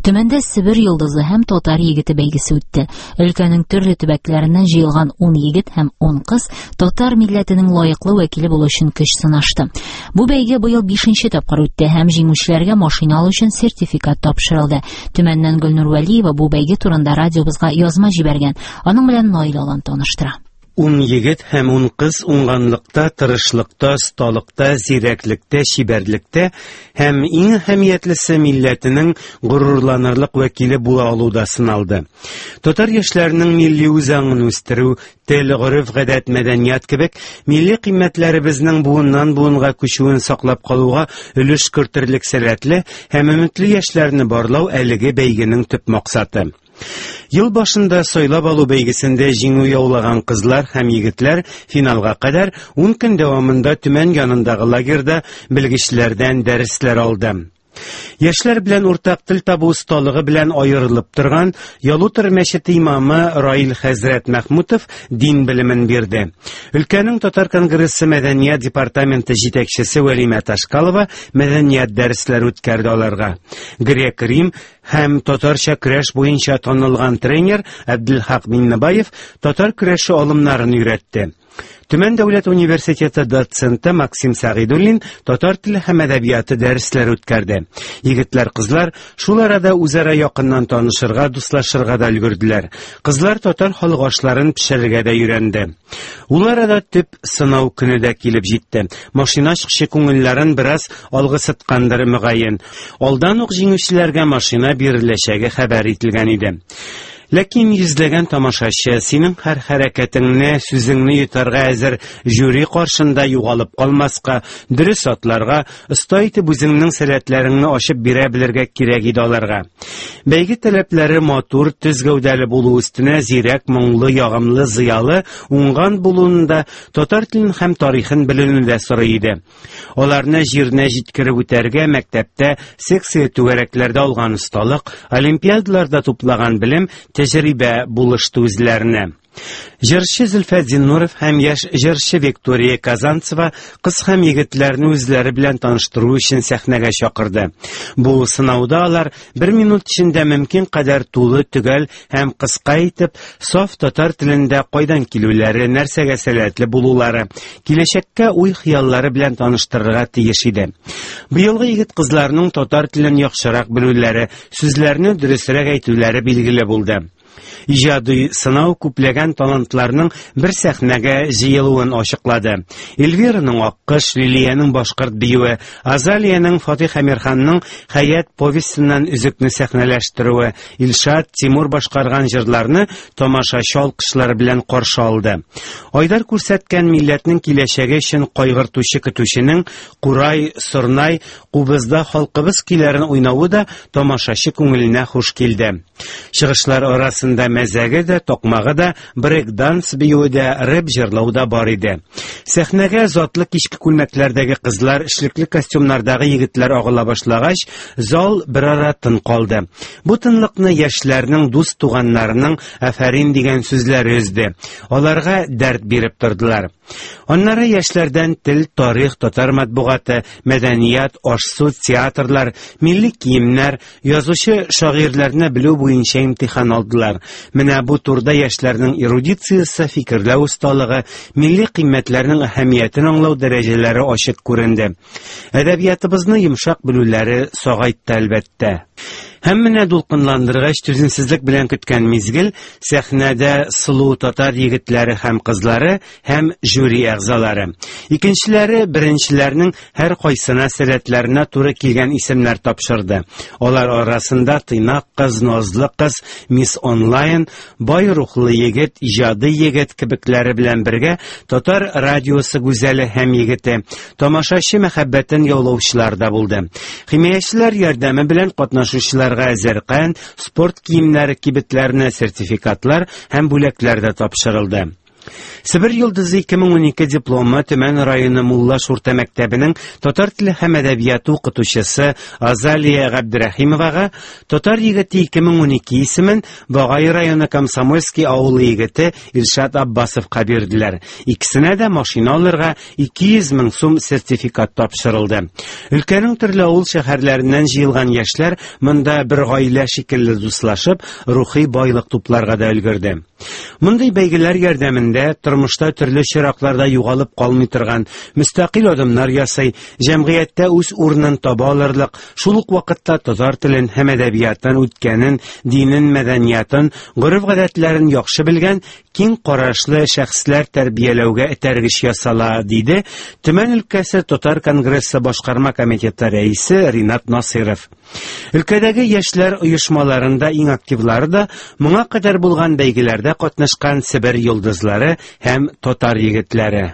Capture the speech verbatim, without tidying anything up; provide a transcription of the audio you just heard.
Төмәндә Себер йолдызы һәм татар егете бәйгесе үтте. Өлкәнең төрле төбәкләреннән җыелган ун егет һәм ун кыз татар милләтенең лаеклы вәкиле булу өчен көч сынашты. Бу бәйге быел бишенче тапкыр үтте һәм җиңүчеләргә машина алу өчен сертификат тапшырылды. Төмәннән Гөлнур Вәлиева бу бәйге турында радиобызга язма җибәргән. Аның белән Наил Алан таныштыра. Ун егет һәм ун кыз уңганлыкта, тырышлыкта, осталыкта, зирәклектә, чибәрлектә һәм иң әһәмиятлесе милләтенең горурланырлык вәкиле була алуда сыналды. Татар яшьләренең милли үзаңын үстерү, тел, гореф-гадәт, мәдәният кебек милли кыйммәтләребезнең буыннан буынга күчүен саклап калуга өлеш кертерлек сәләтле һәм өметле яшьләрне барлау әлеге бәйгенең төп максаты. Ел башында сайлап алу бәйгесендә җиңү яулаган кызлар һәм егетләр финалга кадәр ун көн дәвамында Төмән янындагы лагерьда белгечләрдән дәресләр алды. Яшьләр белән уртак тел табу осталыгы белән аерылып торган Ялутор мәчете имамы Раил хәзрәт Мәхмүтов дин белемен бирде. Өлкәнең Татар конгрессы мәдәният департаменты җитәкчесе Вәлимә Ташкалова мәдәният дәресләре үткәрде аларга. Грек-рим һәм татарча көрәш буенча танылган тренер Әбделхак Миннебаев татар көрәше алымнарын өйрәтте. Төмән дәүләт университеты доценты Максим Сәгыйдуллин татар теле һәм әдәбияты дәресләре үткәрде. Егетләр, кызлар шул арада үзара якыннан танышырга, дуслашырга да өлгерделәр. Кызлар татар халык ашларын пешерергә дә өйрәнде. Ул арада төп сынау көне дә килеп җитте. Машина чыкчы күңелләрен бераз алгысыткандыр мөгаен. Алдан ук җиңүчеләргә машина биреләчәге хәбәр ителгән иде. Ләкин йөзләгән тамашачы синең һәр хәрәкәтеңне, сүзеңне йотарга әзер жюри каршында югалып калмаска, дөрес атларга, оста итеп үзеңнең сәләтләреңне ачып бирә белергә кирәк иде аларга. Бәйге таләпләре матур, төз гәүдәле булу өстенә зирәк, моңлы, ягымлы, зыялы, уңган булуын да, татар телен һәм тарихын белүне дә сорый иде. Аларны җиренә җиткереп үтәргә мәктәптә, секция түгәрәкләрдә алган осталык, олимпиадаларда туплаган белем, тәҗрибә булышты үзләренә. Җырчы Зөлфәт Зиннуров һәм яшь җырчы Виктория Казанцева кыз һәм егетләрне үзләре белән таныштыру өчен сәхнәгә чакырды. Бу сынауда алар бер минут эчендә мөмкин кадәр тулы, төгәл һәм кыска итеп саф татар телендә кайдан килүләре, нәрсәгә сәләтле булулары, киләчәккә уй-хыяллары белән таныштырырга тиеш иде. Быелгы егет кызларның татар телен яхшырак белүләре, сүзләрне дөресрәк әйтүләре билгеле булды. Иҗади сынау күпләгән талантларның бер сәхнәгә җыелуын ачыклады. Эльвираның Аккыш, Лилиянең башкорт биюе, Азалиянең Фатих Әмирханның Хәят повестеннән өзекне сәхнәләштерүе, Илшат Тимур башкарган җырларны тамашачы алкышлары белән каршы алды. Айдар күрсәткән милләтнең киләчәге өчен кайгыртучы көтүченең Курай, Сорнай, Кубызда халкыбыз көйләрен уйнавы да тамашачы күңеленә хуш килде. Чыгышлар арасында мәзәге дә, токмагы да, брейк-данс биюе дә, рэп җырлау да бар иде. Сәхнәгә затлы кичке күлмәкләрдәге кызлар, эшлекле костюмнардагы егетләр агыла башлагач, зал берара тын калды. Бу тынлыкны яшьләрнең дус туганнарының афәрин дигән сүзләре өзде. Аларга дәрт биреп тордылар. Аннары яшьләрдән тел, тарих, татар матбугаты, мәдәният, аш-су, театрлар, милли киемнәр, язучы шагыйрьләрне белү буенча имтихан алдылар. Менә бу турда яшьләрнең эрудициясе, фикерләү осталыгы, милли кыйммәтләрнең әһәмиятен аңлау дәрәҗәләре ачык күренде. Әдәбиятыбызны йомшак белүләре сагайтты әлбәттә. Һәм менә дулкынландыргыч түземсезлек белән көткән мизгел сәхнәдә сылу татар егетләре һәм кызлары һәм жюри әгъзалары. Икенчеләре беренчеләрнең һәр кайсына сәләтләренә туры килгән исемнәр тапшырды. Алар арасында тыйнак кыз, назлы кыз, мисс онлайн, бай рухлы егет, иҗади егет кебекләре белән бергә татар радиосы гүзәле һәм егете, тамашачы мәхәббәтен яулаучылар да булды. Химаячылар ярдәме белән катнашучылар әзеркән, спорт киемнәре кибетләренә сертификатлар һәм бүләкләр дә тапшырылды. Себер йолдызы ике мең унике дипломы Төмән районы Муллаш урта мәктәбенең татар теле һәм әдәбияты укытучысы Азалия Габдрәхимовага, Татар егете ике мең унике исемен Багай районы Комсомольский авылы егете Илшат Аббасовка бирделәр. Икесенә дә машина алырга ике йөз мең сум сертификат тапшырылды. Өлкәнең төрле авыл шәһәрләреннән җыелган яшьләр монда бер гаилә шикелле дуслашып, рухи байлык тупларга да өлгерде. Мондый бәйгеләр ярдәмендә тормышта төрле чиракларда югалып калмый торган, мөстәкыйль адымнар ясый, җәмгыятьтә үз урынын таба алырлык, шул ук вакытта татар телен һәм әдәбиятын, үткәнен, динен, мәдәниятын, гореф-гадәтләрен яхшы белгән киң карашлы шәхесләр тәрбияләүгә этәргеч ясала, диде Төмән өлкәсе Татар конгрессы башкарма комитеты рәисе Ринат Насыйров. Өлкәдәге яшьләр оешмаларында иң активлары да моңа кадәр булган бәйгеләрдә катнашкан Себер йолдызлары һәм татар егетләре.